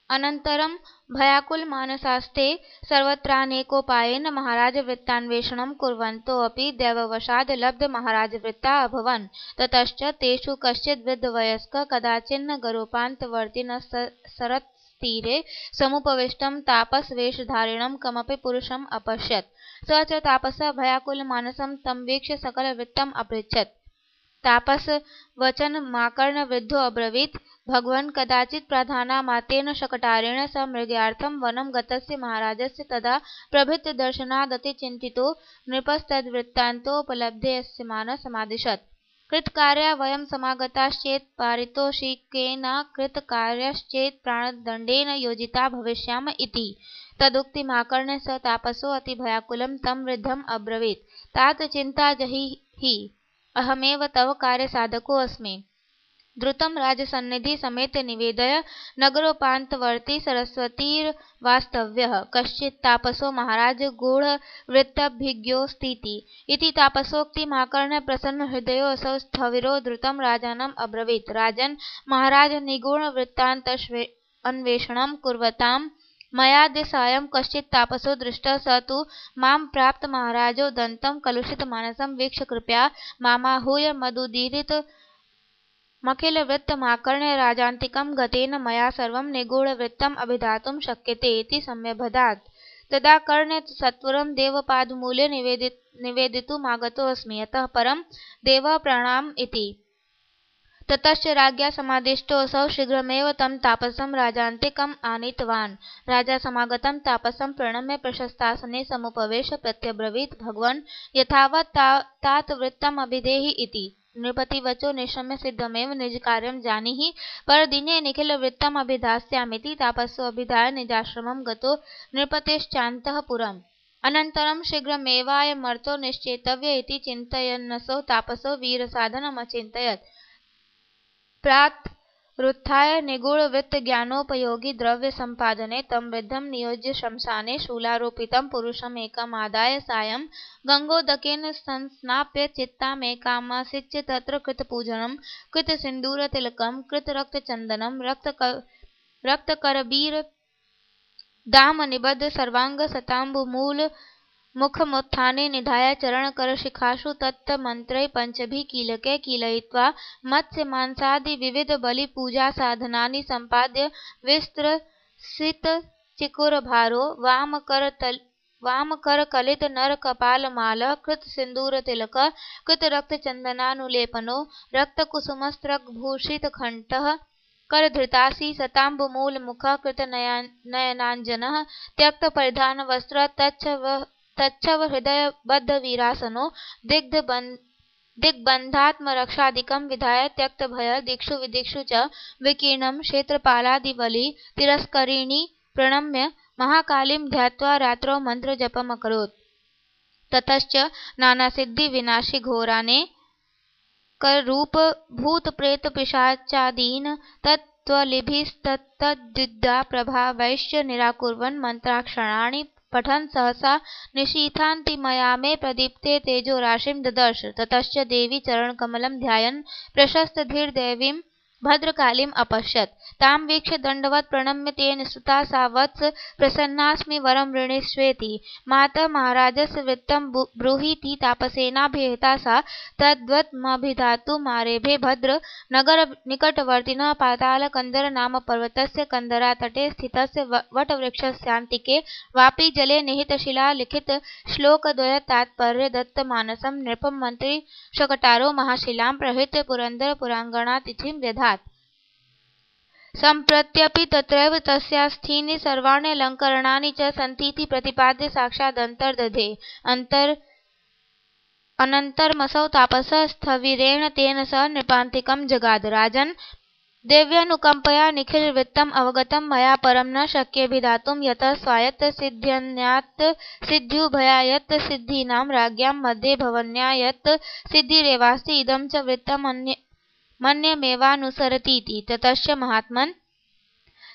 अनन्तरं भयाकुलमानसास्ते सर्वत्रानेकोपायेन महाराजवृत्तान्वेषणं कुर्वन्तोऽपि दैववशाद् लब्धमहाराजवृत्ता अभवन्। ततश्च तेषु कश्चिद् वृद्धवयस्कः कदाचिन्न गरोपान्तवर्तिनस्तरतीरे समुपविष्टं तापसवेषधारिणं कमपि पुरुषम् अपश्यत्। स च तापसः भयाकुलमानसं तं वीक्ष्य सकलवृत्तम् अपृच्छत्। तापसवचनमाकर्ण्य वृद्धो अब्रवीत् भगवन् कदाचित् प्रधानामात्येन शकटारेण सह मृगयार्थं वनं गतस्य महाराजस्य तदा प्रभृतिदर्शनादतिचिन्तितो नृपस्तद्वृत्तान्तोपलब्धेऽस्यमानः समादिशत्। कृतकार्या वयं समागताश्चेत् पारितोषिकेन कृतकार्यश्चेत् प्राणदण्डेन योजिता भविष्याम इति। तदुक्तिमाकर्ण्य स तापसो अतिभयाकुलं तं वृद्धम् अब्रवीत् तात चिन्ता जहि अहमेव तव कार्यसाधकोऽस्मि। द्रुतं राजसन्निधि समेत निवेदय नगरोपान्तवर्ती सरस्वतीर्वास्तव्यः कश्चित् तापसो महाराज गूढवृत्तभिज्ञोऽस्तीति। इति तापसोक्तिमाकर्ण्य प्रसन्नहृदयो असौ स्थविरो द्रुतं राजानम् अब्रवीत् राजन् महाराज निगूढवृत्तान्तन्वेषणं कुर्वतां मयाद्य सायं कश्चित् तापसो दृष्टः स तु मां प्राप्त महाराजो दन्तं कलुषितमानसं वीक्ष्य कृपया मामाहूय मदुदीरितमखिलवृत्तमाकर्ण्य राजान्तिकं गतेन मया सर्वं निगूढवृत्तम् अभिधातुं शक्यते इति सम्यभदात्। तदाकर्ण्य सत्वरं देवपादमूले निवेदितुमागतोऽस्मि अतः परं देवः प्रणाम इति। ततश्च राज्ञा समादिष्टोऽसौ शीघ्रमेव तं तापसं राजान्तिकम् आनीतवान्। राजा समागतं तापसं प्रणम्य प्रशस्तासने समुपवेश्य प्रत्यब्रवीत् भगवन् यथावत् तात वृत्तमभिधेहि इति। नृपतिवचो निशम्य सिद्धमेव निजकार्यं जानीहि परदिने निखिलवृत्तमभिधास्यामीति तापसोऽभिधाय निजाश्रमं गतो नृपतेश्चान्तः पुरम्। अनन्तरं शीघ्रमेवायमर्थो निश्चेतव्य इति चिन्तयन्नसौ तापसो वीरसाधनमचिन्तयत्। प्रातरुत्थाय निगूढवृत्तज्ञानोपयोगि द्रव्यसम्पादने तं वृद्धं नियोज्य श्मशाने शूलारोपितं पुरुषमेकमादाय सायं गङ्गोदकेन संस्नाप्य चितामेकामासिच्य तत्र कृतपूजनं कृतसिन्दूरतिलकं कृतरक्तचन्दनं रक्तकरबीरदामनिबद्ध सर्वाङ्गशताम्बुमूलमुखमुत्थाने निधाय चरणकरशिखासु तत्तन्मन्त्रैः पञ्चभिः कीलकैः कीलयित्वा मत्स्यमांसादिविविधबलिपूजासाधनानि सम्पाद्य विस्तृतसितचिकुरभारो वामकरकलितनरकपालमालः कृतसिन्दूरतिलकः कृतरक्तचन्दनानुलेपनो रक्तकुसुमस्रग्भूषितकण्ठः करधृतासि शताम्बुमूलमुखः कृतनयनाञ्जनः त्यक्तपरिधानवस्त्रः तच्छवहृदयबद्धवीरासनो दिग्बन्धात्मरक्षादिकं विधाय त्यक्तभयः दिक्षु विदिक्षु च विकीर्णं क्षेत्रपालादिबलि तिरस्करिणी प्रणम्य महाकालीं ध्यात्वा रात्रौ मन्त्रजपमकरोत्। ततश्च नानासिद्धिविनाशिघोराने कररूपभूतप्रेतपिशाचादीन् तत्त्वलिभिस्तत्तद्विद्याप्रभावैश्च निराकुर्वन् मन्त्राक्षराणि पठन् सहसा निशीथान्तिमयामे प्रदीप्ते तेजोराशिं ददर्श। ततश्च देवी चरणकमलं ध्यायन् प्रशस्तधीर्दैवीं भद्रकालीम् अपश्यत्। तां वीक्ष्य दण्डवत् प्रणम्य तेन स्तुता सा वत्स प्रसन्नास्मि वरं ऋणीष्वेति। मातः महाराजस्य वृत्तं ब्रूहीति तापसेनाभिहिता सा तद्वत्मभिधातुमारेभे भद्र नगर निकटवर्तिनः पातालकन्दर नाम पर्वतस्य कन्दरातटे स्थितस्य वटवृक्षस्यान्तिके वापि जले निहितशिलालिखित श्लोकद्वय तात्पर्य दत्तमानसं नृपं मन्त्री शकटारो महाशिलां प्रहृत्य पुरन्दर पुराङ्गणातिथिं व्यधात्। सम्प्रत्यपि तत्रैव तस्यास्थीनि सर्वाण्यलङ्करणानि च सन्तीति प्रतिपाद्य साक्षादन्तर्दधे। अनन्तरमसौ तापसः स्थविरेण तेन सह नृपान्तिकं जगाद। राजन्, देव्यनुकम्पया निखिलवृत्तम् अवगतं मया परं न शक्येऽभिधातुं यतः स्वायत्त सिद्ध्यन्यात्त सिद्ध्युभयायत्त सिद्धीनां राज्ञां मध्ये भवन्यायत्त सिद्धिरेवास्ति इदं च वृत्तमन्यमेवानुसरतीति। ततश्च महात्मन्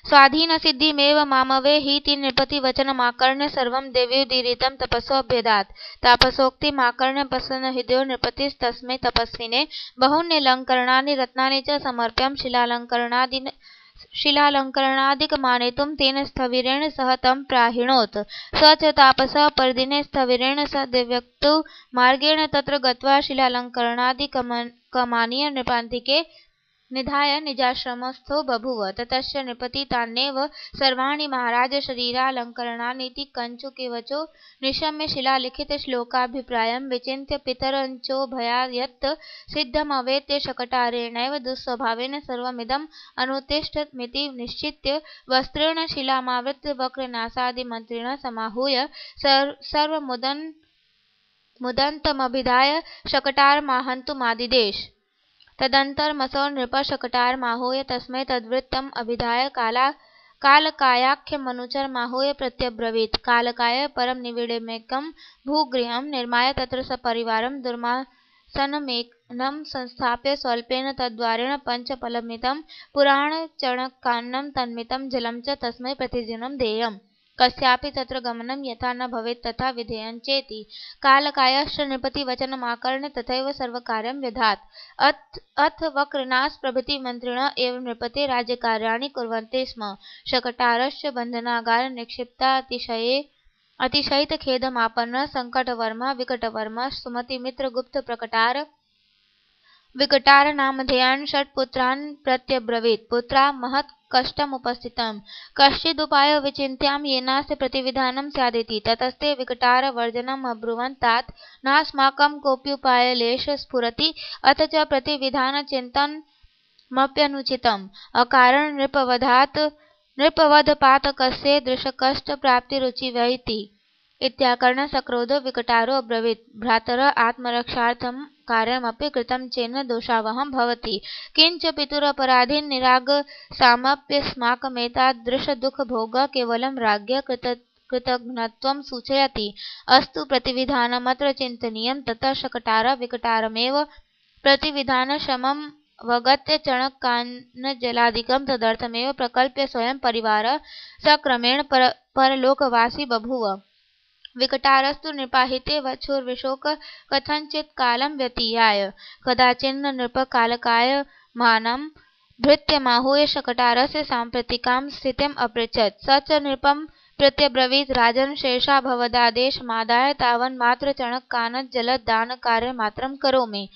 स्वाधीनसिद्धिमेव मामवे हीति नृपतिवचनमाकर्ण्य सर्वं देव्युदीरितं तपसोऽभ्यधात्। तापसोक्तिमाकर्ण्य प्रसन्नहृदयो नृपतिस्तस्मै तपस्विने बहून्यलङ्करणानि रत्नानि च समर्प्य शिलालङ्करणादिकमानेतुं तेन स्थविरेण सह तं प्राहिणोत्। स च तापसः परदिने स्थविरेण सह दिव्योक्तौ मार्गेण तत्र गत्वा शिलालङ्करणादिकमानीय नृपान्तिके निधाय निजाश्रमस्थो बभूव। ततश्च नृपति तान्येव सर्वाणि महाराज शरीरालङ्करणानीति कञ्चुकिवचो निशम्य शिलालिखितश्लोकाभिप्रायं विचिन्त्य पितरञ्चोभयायत्त सिद्धमवेत्य शकटारेणैव दुःस्वभावेन सर्वमिदम् अनुतिष्ठन्मिति निश्चित्य वस्त्रेण शिलामावृत्य वक्रनासादिमन्त्रिणः समाहूय सर्वमुदन्तमभिधाय शकटारमाहन्तुमादिदेश। तदनन्तरमसौ नृपः शकटारमाहूय तस्मै तद्वृत्तम् अभिधाय कालकायाख्यमनुचरमाहूय प्रत्यब्रवीत्। कालकाय परं निविडमेकं भूगृहं निर्माय तत्र सपरिवारं दुर्मासनमेनं संस्थाप्य स्वल्पेन तद्द्वारेण पञ्चफलमिदं पुराणचणकान्नं तन्मितं जलं च तस्मै प्रतिदिनं देयम्। कस्यापि तत्र गमनं यथा न भवेत् तथा विधेयं चेति। कालकायश्च नृपतिवचनमाकर्ण्य तथैव सर्वकार्यं व्यधात्। अथ वक्रनास प्रभृति मन्त्रिणः एव नृपते राज्यकार्याणि कुर्वन्ति स्म। शकटारश्च बन्धनागारे निक्षिप्ता अतिशयितखेदमापन्नः सङ्कटवर्मा विकटवर्मा सुमतिमित्रगुप्तप्रकटार विकटारनामधेयान् षट्पुत्रान् प्रत्यब्रवीत्। पुत्रा महत्कष्टमुपस्थितं कश्चिदुपायो विचिन्त्यां येनास्य प्रतिविधानं स्यादिति। ततस्ते विकटारवर्जनमब्रुवन् तात नास्माकं कोऽप्युपायलेशः स्फुरति अथ च प्रतिविधानचिन्तनमप्यनुचितम्। अकारण नृपवधपातकस्य दृशकष्टप्राप्तिरुचिवैति। इत्याकर्ण्य सक्रोधो विकटारो अब्रवीत्। भ्रातरः आत्मरक्षार्थं कार्यमपि कृतं चेन्न दोषावहं भवति। किंच पितुरपराधीन् निरागसामप्यस्माकमेतादृशदुःखभोगः केवलं राज्ञः कृतघ्नत्वं सूचयति। अस्तु प्रतिविधानमत्र चिन्तनीयं। ततः शकटारः विकटारमेव प्रतिविधानशममवगत्य चणकान्नजलादिकं तदर्थमेव प्रकल्प्य स्वयं परिवारः सक्रमेण परलोकवासी बभूव। विकटारस्तु नृपाहिते वक्षुर्विशोक कथञ्चित् कालं व्यतीयाय। कदाचिन्न नृपः कालकायमानं भृत्यमाहूय शकटारस्य साम्प्रतिकां स्थितिम् अपृच्छत्। स च नृपं प्रत्यब्रवीत्। राजन्, शेषा भवदादेशमादाय तावन्मात्रचणकानज्जलदानकार्यमात्रं करोमि,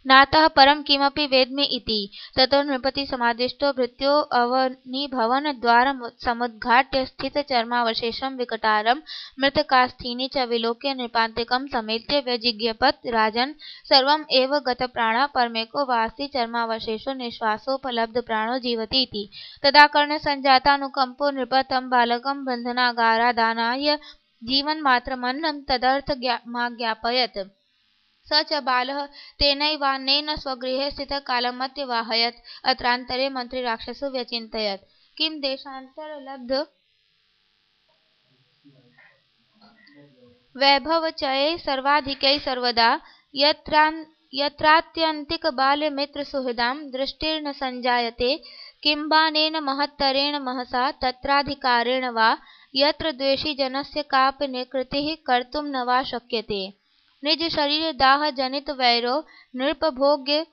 नातः परं किमपि वेद्मि इति। ततो नृपतिसमादिष्टो भृत्योऽवनिभवन् द्वारसमुद्घाट्य स्थितचर्मावशेषं विकटारं मृतकास्थीनि च विलोक्य नृपान्तिकं समेत्य व्यजिज्ञपत्। राजन्, सर्वम् एव गतप्राणः परमेको वास्ति चर्मावशेषो निःश्वासोपलब्धप्राणो जीवति इति। तदाकर्ण्य सञ्जातानुकम्पो नृपः तं बालकं बन्धनागारादानाय जीवन्मात्रमन्नं तदर्थमाज्ञापयत्। स च बालः तेनैवान्नेन स्वगृहे स्थितः कालमत्यवाहयत्। अत्रान्तरे मन्त्रीराक्षसो व्यचिन्तयत्, किं देशान्तरलब्ध वैभवचये सर्वाधिकै सर्वदा यत्रात्यन्तिकबाल्यमित्रसुहृदां दृष्टिर्न सञ्जायते किंबानेन महत्तरेण महसा तत्राधिकारेण वा यत्र द्वेषी जनस्य कापि निकृतिः कर्तुं न वा शक्यते। निजशरीरदाहजनितवैरो नृपभोग्य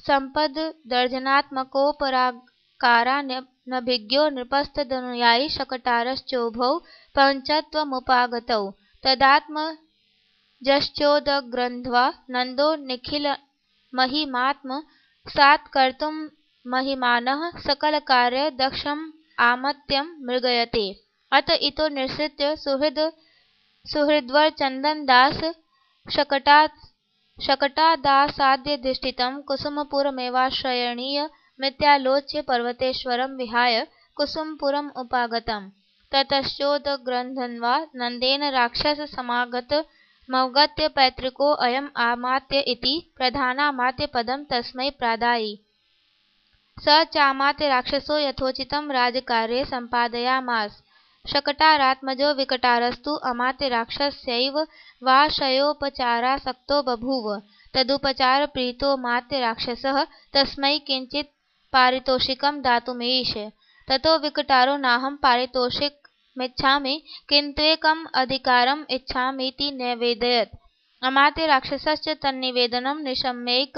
सम्पद्दर्जनात्मकोपराकारानभिज्ञो नृपस्तदनुयायी शकटारश्चोभौ पञ्चत्वमुपागतौ तदात्मजश्चोदग्रन्थ्वा नन्दो निखिलमहिमात्मसात्कर्तुं महिमानः सकलकार्यदक्षमामत्यं मृगयते। अत इतो निसृत्य सुहृद्वरचन्दनदास शकटादासाद्यधिष्ठितं कुसुमपुरमेवाश्रयणीयमित्यालोच्य पर्वतेश्वरं विहाय कुसुमपुरमुपागतम्। ततश्चोदग्रन्थ्वा नन्देन राक्षससमागतमवगत्य पैतृकोऽयम् आमात्य इति प्रधानामात्यपदं तस्मै प्रादायि। स चामात्य राक्षसो यथोचितं राजकार्ये सम्पादयामास। शकटारात्मजो विकटारस्तु अमात्यराक्षस्यैव वाशयोपचारासक्तो बभूव। तदुपचारप्रीतोऽमात्यराक्षसः तस्मै किञ्चित् पारितोषिकं दातुमीश। ततो विकटारो नाहं पारितोषिकमिच्छामि किन्तुकम् अधिकारम् इच्छामीति न्यवेदयत्। अमात्यराक्षसश्च तन्निवेदनं निशम्यैक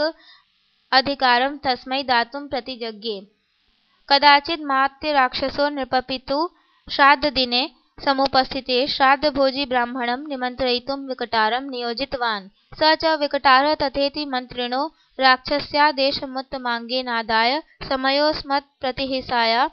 अधिकारं तस्मै दातुं प्रतिजज्ञे। कदाचिन्मात्यराक्षसो नृपपितुः श्राद्धदिने समुपस्थिते श्राद्धभोजी ब्राह्मणं निमन्त्रयितुं विकटारं नियोजितवान्। स च विकटारः तथेति मन्त्रिणो राक्षस्यादेशमुत्तमाङ्गेनादाय समयोऽस्मत्प्रतिहिंसाया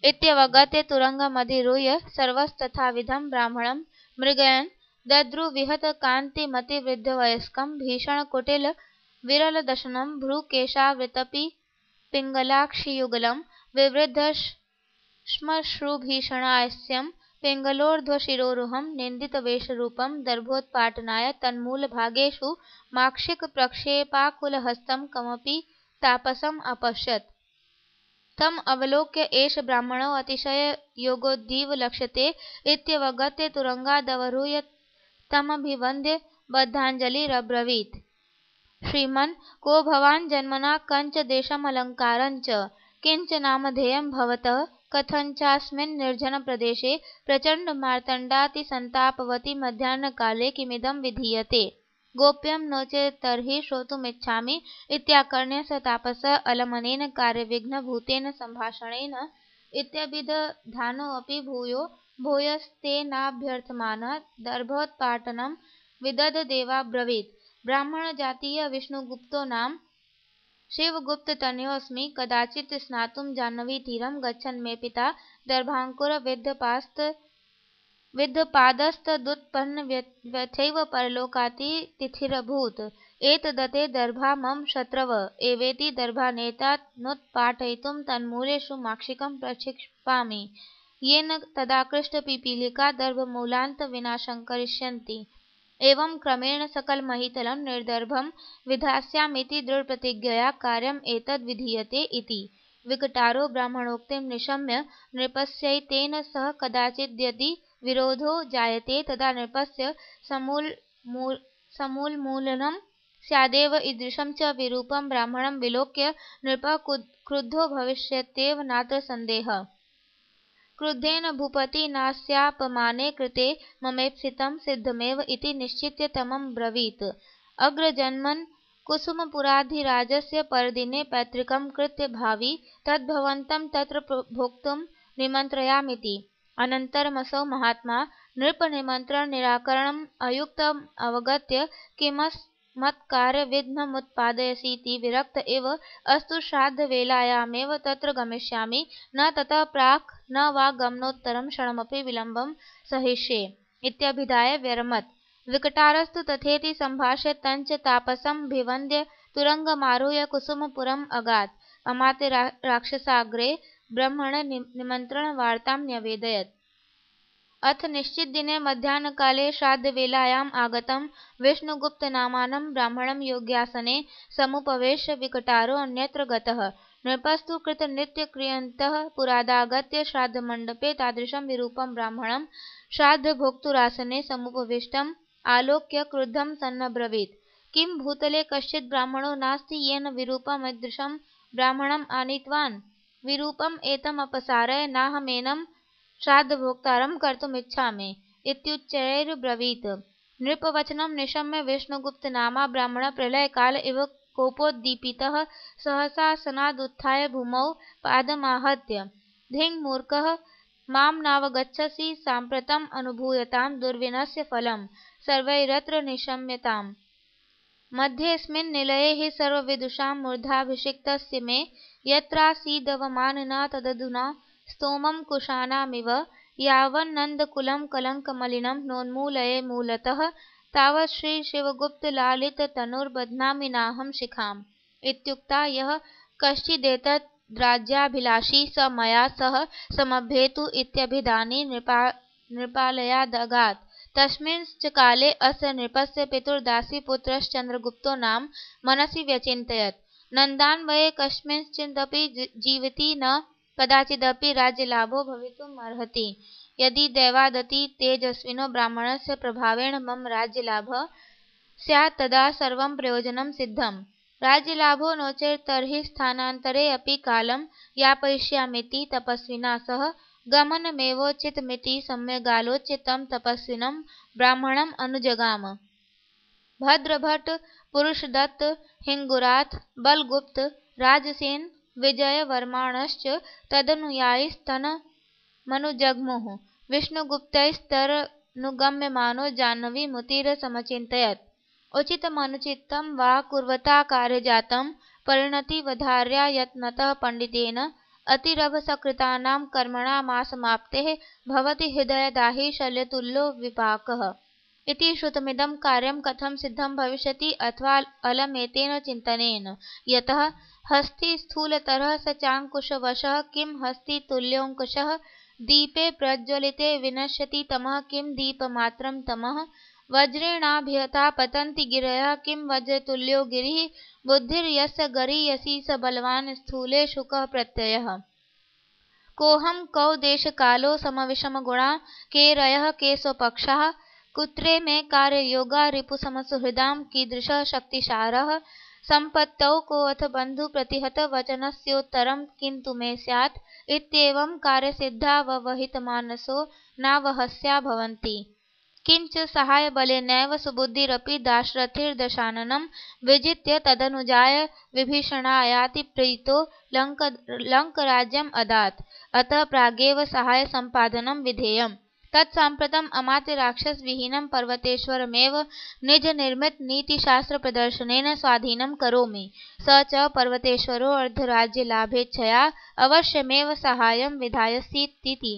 इत्यवगत्य तुरङ्गमधिरुह्य सर्वस्तथाविधं ब्राह्मणं मृगयन् दद्रुविहतकान्तिमतिवृद्धवयस्कं भीषणकुटिलविरलदशनं भ्रूकेशावृतपिङ्गलाक्षियुगलं विवृद्धश्मश्रुभीषणास्यं पिङ्गलोर्ध्वशिरोरुहं निन्दितवेषरूपं दर्भोत्पाटनाय तन्मूलभागेषु माक्षिकप्रक्षेपाकुलहस्तं कमपि तापसम् अपश्यत्। तम् अवलोक्य एष ब्राह्मणो अतिशययोगोद्धीव लक्ष्यते इत्यवगत्य तुरङ्गादवरुह्य तमभिवन्द्य बद्धाञ्जलिरब्रवीत्। श्रीमन् को भवान् जन्मना कञ्च देशमलङ्कारञ्च किञ्च नामधेयं भवतः कथञ्चास्मिन् निर्जनप्रदेशे प्रचण्डमार्तण्डातिसन्तापवति मध्याह्नकाले किमिदं विधीयते। गोप्यं नो चेत्तर्हि श्रोतुमिच्छामि इत्याकर्ण्य स तापसः अलमनेन कार्यविघ्नभूतेन सम्भाषणेन इत्यभिदधानोऽपि भूयस्तेनाभ्यर्थमानः दर्भोत्पाटनं विदधदेवाब्रवीत्। ब्राह्मणजातीय विष्णुगुप्तो नाम शिवगुप्ततनयोऽस्मि। कदाचित् स्नातुं जाह्नवीतीरं गच्छन् मे पिता दर्भाङ्कुरविद्धपादस्तदुत्पन्नव्यथैव परलोकातिथिरभूत्। एतदते दर्भा मम शत्रव एवेति दर्भानेतानुत्पाटयितुं तन्मूलेषु माक्षिकं प्रक्षिपामि येन तदाकृष्टपिपीलिका दर्भमूलान्तविनाशं करिष्यन्ति। एवं क्रमेण सकलमहीतलं निर्दर्भं विधास्यामीति दृढप्रतिज्ञया कार्यम् एतद् विधीयते इति। विकटारो ब्राह्मणोक्तिं निशम्य नृपस्यैतेन सह कदाचिद्यदि विरोधो जायते तदा नृपस्य समूलमूलनं स्यादेव। ईदृशं च विरूपं ब्राह्मणं विलोक्य नृपः क्रुद्धो भविष्यत्येव नात्र सन्देहः। क्रुद्धेन भूपतिनास्यापमाने कृते ममेप्सितं सिद्धमेव इति निश्चित्य तमब्रवीत्। अग्रजन्मन् कुसुमपुराधिराजस्य परदिने पैतृकं कृत्य भावि तद्भवन्तं तत्र भोक्तुं निमन्त्रयामीति। अनन्तरमसौ महात्मा नृपनिमन्त्रणनिराकरणम् अयुक्तमवगत्य किमस्मत्कार्यविघ्नमुत्पादयसीति विरक्त एव अस्तु श्राद्धवेलायामेव तत्र गमिष्यामि न ततः प्राक् न वा गमनोत्तरं क्षणमपि विलम्बं सहिष्ये इत्यभिधाय व्यरमत्। विकटारस्तु तथेति सम्भाष्य तञ्च तापसमभिवन्द्य तुरङ्गमारुह्य कुसुमपुरम् अगात्। अमात्यराक्षसाग्रे ब्रह्मणनिमन्त्रणवार्तां न्यवेदयत्। अथ निश्चितदिने मध्याह्नकाले श्राद्धवेलायाम् आगतं विष्णुगुप्तनामानं ब्राह्मणं योग्यासने समुपवेश्य विकटारो अन्यत्र गतः। नृपस्तु कृतनित्यक्रियन्तः पुरादागत्य श्राद्धमण्डपे तादृशं विरूपं ब्राह्मणं श्राद्धभोक्तुरासने समुपविष्टम् आलोक्य क्रुद्धं सन्नब्रवीत्। किं भूतले कश्चित् ब्राह्मणो नास्ति येन विरूपमीदृशं ब्राह्मणम् आनीतवान्? विरूपम् एतमपसारय नाहमेनं श्राद्धभोक्तारं कर्तुमिच्छामि इत्युच्चैर्ब्रवीत्। नृपवचनं निशम्य विष्णुगुप्तनामा ब्राह्मणः प्रलयकाल इव कोपोद्दीपितः सहसासनादुत्थाय भूमौ पादमाहत्य धिङ् मूर्खः मां नावगच्छसि साम्प्रतम् अनुभूयतां दुर्विनस्य फलं सर्वैरत्र निशम्यताम्। मध्येऽस्मिन् निलये हि सर्वविदुषां मूर्धाभिषिक्तस्य मे यत्रासीदवमानना तदधुना स्तोमं कुशानामिव यावन्नन्दकुलं कलङ्कमलिनं नोन्मूलये मूलतः तावत् श्रीशिवगुप्तलालिततनुर्बध्नामि नाहं शिखाम्। इत्युक्ता यः कश्चिदेतद्राज्याभिलाषी स मया सह समभ्येतु इत्यभिधाने नृपालयादगात्। तस्मिंश्च काले अस्य नृपस्य पितुर्दासीपुत्रश्चन्द्रगुप्तो नाम मनसि व्यचिन्तयत् नन्दान्वये कस्मिंश्चिदपि जीविति न कदाचिदपि राज्यलाभो भवितुमर्हति। यदि दैवादति तेजस्विनो ब्राह्मणस्य प्रभावेण मम राज्यलाभः स्यात् तदा सर्वं प्रयोजनं सिद्धम्। राज्यलाभो नो चेत् तर्हि स्थानान्तरे अपि कालं यापयिष्यामीति तपस्विना सह गमनमेवोचितमिति सम्यगालोच्य तं तपस्विनं ब्राह्मणम् अनुजगाम। भद्रभट्ट, पुरुषदत्त, हिङ्गुराथ, बलगुप्त, राजसेन, विजयवर्माणश्च तदनुयायिस्तनमनुजग्मुः। विष्णुगुप्तैस्तरनुगम्यमानो जाह्नवीमुतिरसमचिन्तयत् उचितमनुचितं वा कुर्वता कार्यजातं परिणतिवधार्या यत्नतः पण्डितेन अतिरभसकृतानां कर्मणामासमाप्तेः भवति हृदयदाही शल्यतुल्यो विपाकः। इति श्रुतमिदं कार्यं कथं सिद्धं भविष्यति अथवा अलमेतेन चिन्तनेन। यतः हस्ती स्थूलतरः स चाङ्कुशवशः किं हस्तितुल्योऽङ्कुशः दीपे प्रज्वलिते विनश्यति तमः किं दीपमात्रं तमः वज्रेणाभिहता पतन्ति गिरयः किं वज्रतुल्यो गिरिः बुद्धिर्यस्य गरीयसी स बलवान् स्थूले शुकः प्रत्ययः। कोऽहं कौ देशकालो समविषमगुणा के रयः के स्वपक्षाः कुत्रे मे कार्ययोगा रिपुसमसुहृदां कीदृशः शक्तिसारः सम्पत्तौ कोऽथ बन्धु प्रतिहत वचनस्योत्तरं किन्तु मे स्यात् इत्येवं कार्यसिद्धावहितमानसो नावहस्या भवन्ति। किञ्च सहायबलेनैव सुबुद्धिरपि दाशरथिर्दशाननं विजित्य तदनुजाय विभीषणायाति प्रीतो लङ्कराज्यम् अदात्। अतः प्रागेव सहायसम्पादनं विधेयम्। तत्साम्प्रतम् अमात्यराक्षसविहीनं पर्वतेश्वरमेव निजनिर्मितनीतिशास्त्रप्रदर्शनेन स्वाधीनं करोमि। स च पर्वतेश्वरो अर्धराज्यलाभेच्छया अवश्यमेव साहाय्यं विधास्यतीति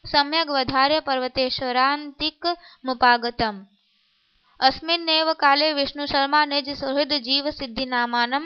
सम्यगवधार्य पर्वतेश्वरान्तिकमुपागतम्। अस्मिन्नेव काले विष्णुशर्मा निजसुहृदजीवसिद्धिनामानं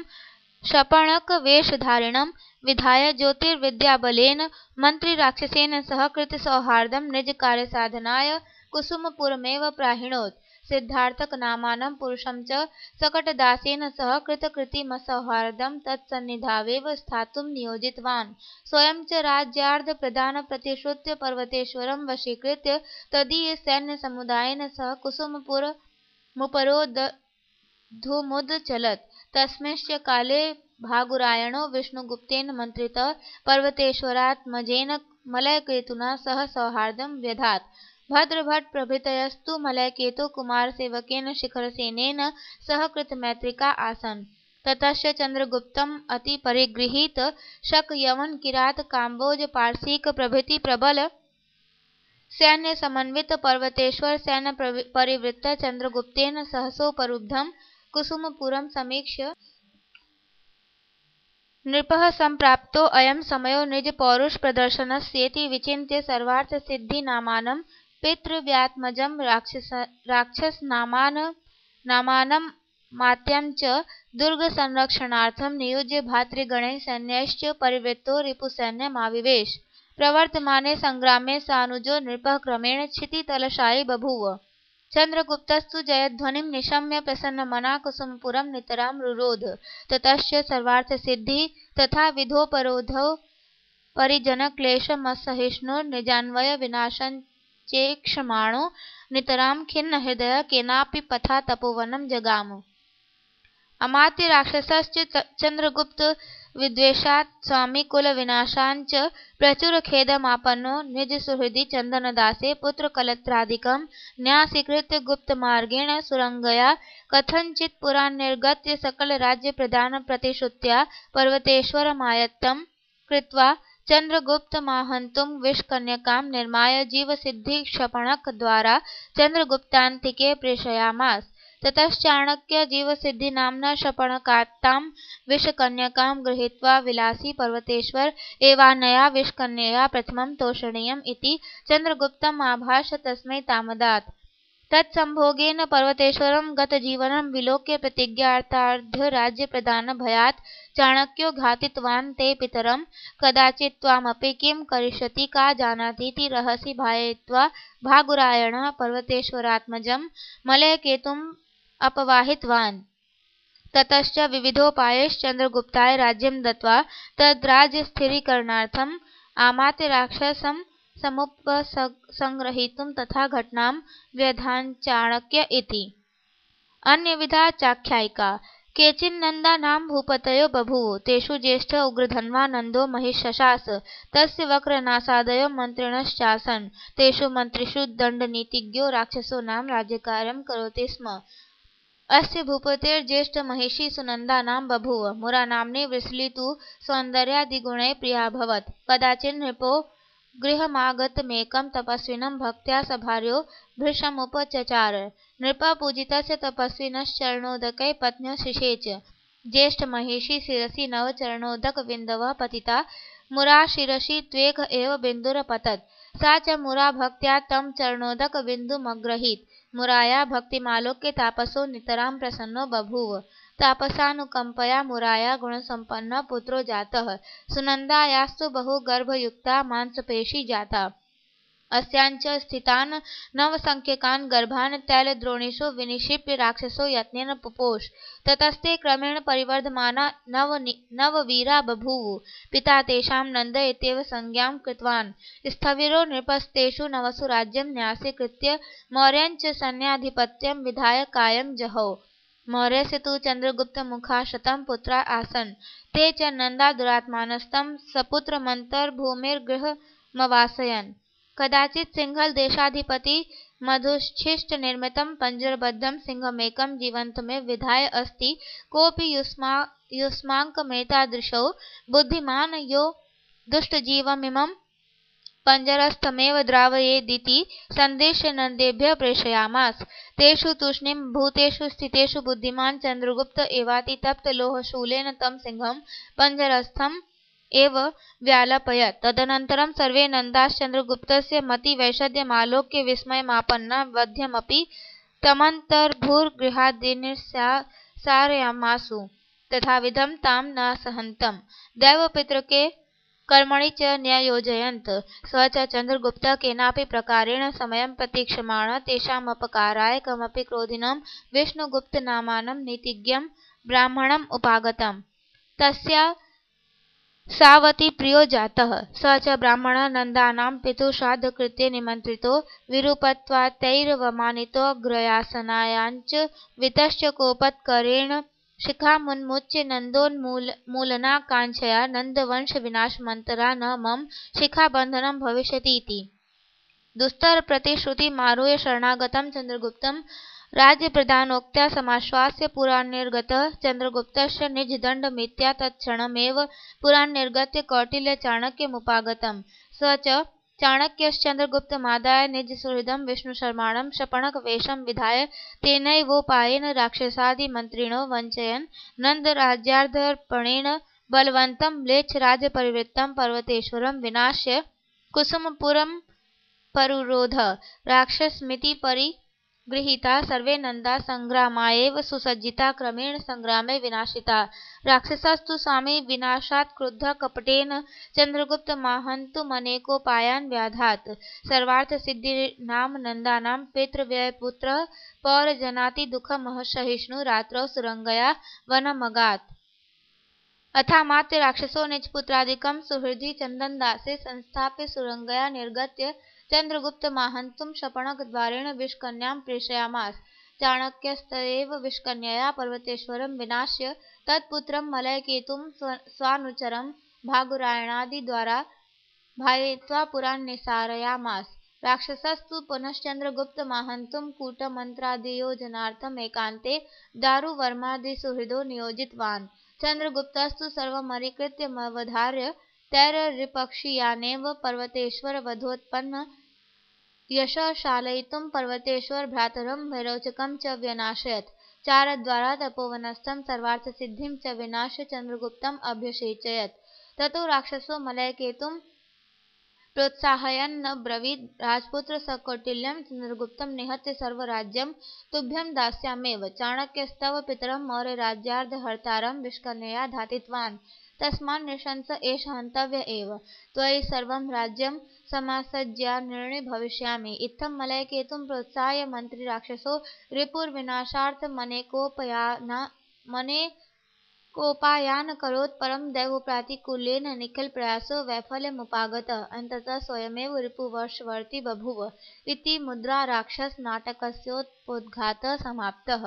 शपणकवेषधारिणं विधाय ज्योतिर्विद्याबलेन मन्त्रिराक्षसेन सह कृतसौहार्दं निजकार्यसाधनाय कुसुमपुरमेव प्राहिणोत्। सिद्धार्थकनामानं पुरुषं च शकटदासेन सह कृतकृतिमसौहार्दं तत्सन्निधावेव स्थातुं नियोजितवान्। स्वयं च राज्यार्धप्रदानप्रतिश्रुत्य पर्वतेश्वरं वशीकृत्य तदीयसैन्यसमुदायेन सह कुसुमपुरमुपरोद्धुमुदचलत्। तस्मिंश्च काले भागुरायणो विष्णुगुप्तेन मन्त्रितः पर्वतेश्वरात्मजेन मलयकेतुना सह सौहार्दं व्यधात्। भद्रभट्ट प्रभृतयस्तु मलयकेतो कुमारसेवकेन शिखरसेनेन सह कृतमैत्रिका आसन्। ततश्च चन्द्रगुप्तम् अतिपरिगृहीत शकयवनकिरातकाम्बोजपारसीक प्रभृति प्रबल सैन्यसमन्वित पर्वतेश्वर सैन्यपरिवृत्त चन्द्रगुप्तेन सहसोपरुब्धं कुसुमपुरं समीक्ष्य नृपः सम्प्राप्तो अयं समयो निजपौरुषप्रदर्शनस्येति विचिन्त्य सर्वार्थसिद्धिनामानं पितृव्यात्मजं राक्षसनामानं च दुर्गसंरक्षणार्थं नियुज्य भातृगणैः सैन्यैश्च परिवृत्तो रिपुसैन्यमाविवेश। प्रवर्तमाने सङ्ग्रामे सानुजो नृपः क्रमेण क्षितितलशायी बभूव। चन्द्रगुप्तस्तु जयध्वनिं निशम्य प्रसन्नमना कुसुमपुरं नितरां रुरोध। ततश्च सर्वार्थसिद्धिः तथाविधोपरोधौ परिजनक्लेशमसहिष्णुर्निजान्वयविनाशञ्चेक्षमाणो नितरां खिन्नहृदयः केनापि पथा तपोवनं जगाम। अमात्य राक्षसश्च चंद्रगुप्त विद्वेषात् स्वामिकुलविनाशाञ्च प्रचुरखेदमापन्नो निजसुहृदि चन्दनदासे पुत्रकलत्रादिकं न्यासीकृत्य गुप्तमार्गेण सुरंगया कथञ्चित् पुरान्निर्गत्य सकलराज्यप्रदानप्रतिश्रुत्या पर्वतेश्वरमायत्तं कृत्वा चन्द्रगुप्तमाहन्तुं विषकन्यकां निर्माय जीवसिद्धिक्षपणकद्वारा चन्द्रगुप्तान्तिके प्रेषयामास। ततश्चाणक्य जीवसिद्धिनाम्ना शपणकात्तां विषकन्यकां गृहीत्वा विलासी पर्वतेश्वर एवानया विषकन्यया प्रथमं तोषणीयम् इति चन्द्रगुप्तम् आभाष तस्मै तामदात्। तत्संभोगेन पर्वतेश्वरं गतजीवनं विलोक्य प्रतिज्ञार्थार्धराज्यप्रदानभयात् चाणक्यो घातितवान् ते पितरं कदाचित् त्वामपि किं करिष्यति का जानातीति रहसि भावयित्वा भागुरायणः पर्वतेश्वरात्मजं मलयकेतुम् अपवाहितवान्। ततश्च विविधोपायैश्च चन्द्रगुप्ताय राज्यं दत्त्वा तद्राज्यस्थिरीकरणार्थम् आमात्य राक्षसं समुपसंग्रहीतुं तथा घटनां व्यधाञ्चाणक्य इति। अन्यविधा चाख्यायिका। केचिन्नन्दानां भूपतयो बभूव तेषु ज्येष्ठ उग्रधन्वा नन्दो महिषशास तस्य वक्रनासादयो मन्त्रिणश्चासन् तेषु मन्त्रिषु दण्डनीतिज्ञो राक्षसो नाम राज्यकार्यं करोति स्म। अस्य भूपतेर्ज्येष्ठ महिषी सुनन्दा नाम बभूव मुरानाम्नी वृषली तु सौन्दर्यादिगुणैः प्रियाभवत्। कदाचिन् नृपो गृहमागतमेकं तपस्विनं भक्त्या सभार्यो भृशमुपचचार। नृपः पूजितस्य तपस्विनश्चरणोदकैः पत्न्यो शिषेच। ज्येष्ठमहिषी शिरसि नव चरणोदकबिन्दवः पतिता मुरा शिरसि त्वेक एव बिन्दुरपतत्। सा च मुरा भक्त्या तं चरणोदकबिन्दुमग्रहीत। मुराया भक्तिमालोक्य तापसो नितरां प्रसन्नो बभूव। तापसानुकंपया मुराया गुणसम्पन्नः पुत्रो जातः। सुनन्दायास्तु बहुगर्भयुक्ता मांसपेशी जाता। अस्याञ्च स्थितान् नवसंख्यकान् गर्भान् तैलद्रोणीषु विनिक्षिप्य राक्षसो यत्नेन पुपोष। ततस्ते क्रमेण परिवर्धमाना नववीरा बभूवुः। पिता तेषां नन्द इत्येव संज्ञां कृतवान्। स्थविरो नृपस्तेषु नवसु राज्यं न्यासीकृत्य मौर्यञ्च सैन्याधिपत्यं विधाय कायं जहौ। मौर्यस्य तु चन्द्रगुप्तमुखाशतं पुत्रा आसन्। ते च नन्दा दुरात्मानस्तं सपुत्रमन्तर्भूमिर्गृहमवासयन्। कदाचित् सिंहलदेशाधिपति मधुच्छिष्टनिर्मितं पञ्जरबद्धं सिंहमेकं जीवन्तमेव विधाय अस्ति कोऽपि युष्माकमेतादृशो बुद्धिमान् यो दुष्टजीवमिमं पञ्जरस्थमेव द्रावयेदिति सन्दिश्य नन्देभ्यः प्रेषयामास। तेषु तूष्णीं भूतेषु स्थितेषु बुद्धिमान् चन्द्रगुप्त एवातितप्तलोहशूलेन तं सिंहं पञ्जरस्थम् एव व्यालपयत्। तदनन्तरं सर्वे नन्दाश्चन्द्रगुप्तस्य मतिवैषद्यमालोक्य विस्मयमापन्ना वध्यमपि तमन्तर्भूर्गृहाद्निस्सारयामासु। तथाविधं तां न सहन्तम् दैवपितृके कर्मणि च न्ययोजयन्त। स च चन्द्रगुप्तः केनापि प्रकारेण समयं प्रतीक्षमाणः तेषामपकाराय कमपि क्रोधिनं विष्णुगुप्तनामानं नीतिज्ञं ब्राह्मणम् उपागतम्। तस्या सावतीप्रियो जातः। स च ब्राह्मणः नन्दानां पितुश्राद्धकृते निमन्त्रितो विरूपत्वात्तैरवमानितोऽग्रयासनायाञ्च वितश्च कोपत्करेण शिखामुन्मुच्य नन्दोन्मूलनाकाङ्क्षया नन्दवंशविनाशमन्तरा न मम शिखाबन्धनं भविष्यतीति। दुस्तरप्रतिश्रुतिमारुह्य शरणागतं चन्द्रगुप्तं राज्यप्रदानोक्त्या समाश्वास्य पुरान्निर्गतः चन्द्रगुप्तश्च निजदण्डमित्या तत्क्षणमेव पुरान्निर्गत्य कौटिल्यचाणक्यमुपागतम्। स च चाणक्यश्चन्द्रगुप्तमादाय निजसुहृदं विष्णुशर्माणं शपणकवेषं विधाय तेनैवोपायेन राक्षसादिमन्त्रिणो वञ्चयन् नन्दराज्यार्पणेन बलवन्तं म्लेच्छराज्यपरिवृत्तं पर्वतेश्वरं विनाश्य कुसुमपुरमपरुरोध। राक्षसमिति परिगृहीता सर्वे नन्दा संग्रामायैव सुसज्जिता क्रमेण संग्रामे विनाशिता। राक्षसास्तु स्वामी विनाशात् क्रुद्धः कपटेन चन्द्रगुप्तमाहन्तुमनेकोपायान् व्याधात्। सर्वार्थसिद्धिर्नाम नन्दानां पितृव्ययपुत्रः पौरजनातिदुःखमसहिष्णुः रात्रौ सुरंगया वनमगात्। अथामात्य राक्षसो निजपुत्रादिकं सुहृदि चन्दनदासे संस्थाप्य सुरंगया निर्गत्य चन्द्रगुप्तमाहन्तुं शपणकद्वारेण विषकन्यां प्रेषयामास। चाणक्यस्तदेव विष्कन्यया पर्वतेश्वरं विनाश्य तत्पुत्रं मलयकेतुं स्वानुचरं भागुरायणादिद्वारा भावयित्वा पुरान् निसारयामास। राक्षसस्तु पुनश्चन्द्रगुप्तमाहन्तुं कूटमन्त्रादियोजनार्थम् एकान्ते दारुवर्मादिसुहृदो नियोजितवान्। चन्द्रगुप्तस्तु सर्वमधिकृत्यमवधार्य तैररिपक्षीयानेव पर्वतेश्वरवधोत्पन्न यशशालयितुं पर्वतेश्वर भ्रातरं विरोचकं च व्यनाशयत्। चारद्वारा तपोवनस्थं सर्वार्थसिद्धिं च विनाश्य चन्द्रगुप्तम् अभ्यषेचयत्। ततो राक्षसो मलयकेतुं प्रोत्साहयन् ब्रवीद् राजपुत्र सकौटिल्यं चन्द्रगुप्तं निहत्य सर्वराज्यं तुभ्यं दास्याम्येव। चाणक्यस्तव पितरं मौर्यराज्यार्धहर्तारं विष्कन्यया घातितवान् तस्मान् नृशंस एष हन्तव्य एव। त्वयि सर्वं राज्यं समासज्यान्निर्णे भविष्यामि। इत्थं मलयकेतुं प्रोत्साह्य मन्त्री राक्षसो रिपुर्विनाशार्थमनेकोपायानकरोत् परं दैवप्रातिकूल्येन निखिलप्रयासो वैफल्यमुपागतः। अन्ततः स्वयमेव रिपुवशवर्ती बभूव इति मुद्राराक्षसनाटकस्योपोद्घातः समाप्तः।